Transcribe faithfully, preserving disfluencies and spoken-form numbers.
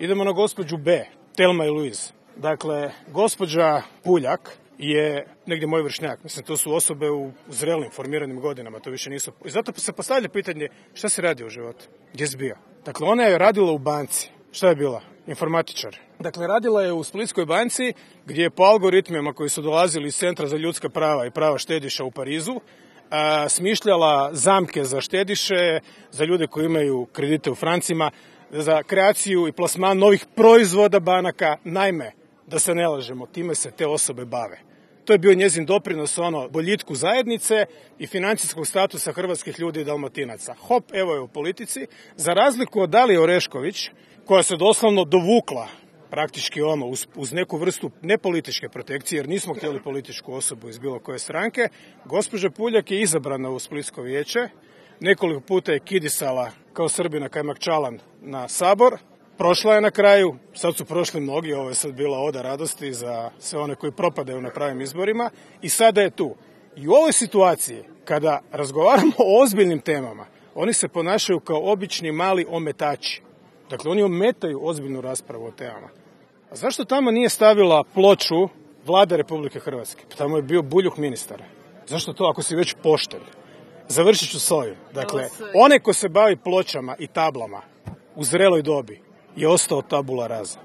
Idemo na gospođu B, Thelma i Louise. Dakle, gospođa Puljak je negdje moj vršnjak. Mislim, to su osobe u zrelim, formiranim godinama, to više nisu. I zato se postavlja pitanje šta se radi u životu, gdje si bio. Dakle, ona je radila u banci. Šta je bila? Informatičar. Dakle, radila je u Splitskoj banci, gdje je po algoritmima koji su dolazili iz Centra za ljudska prava i prava štediša u Parizu, a, smišljala zamke za štediše, za ljude koji imaju kredite u francima, za kreaciju i plasman novih proizvoda banaka. Naime, da se ne lažemo, time se te osobe bave. To je bio njezin doprinos ono boljitku zajednice i financijskog statusa hrvatskih ljudi i Dalmatinaca. Hop, evo je u politici, za razliku od Dalije Orešković, koja se doslovno dovukla praktički ono uz, uz neku vrstu nepolitičke protekcije, jer nismo htjeli političku osobu iz bilo koje stranke. Gospođa Puljak je izabrana u Splitsko vijeće, nekoliko puta je kidisala kao Srbina Kajmak Čalan na Sabor. Prošla je na kraju, sad su prošli mnogi, ovo je sad bila oda radosti za sve one koji propadaju na pravim izborima i sada je tu. I u ovoj situaciji, kada razgovaramo o ozbiljnim temama, oni se ponašaju kao obični mali ometači. Dakle, oni ometaju ozbiljnu raspravu o temama. A zašto tamo nije stavila ploču Vlade Republike Hrvatske? Tamo je bio Buljuh ministar. Zašto to ako si već pošten? Završit ću s ovim. Dakle, onaj ko se bavi pločama i tablama u zreloj dobi je ostao tabula rasa.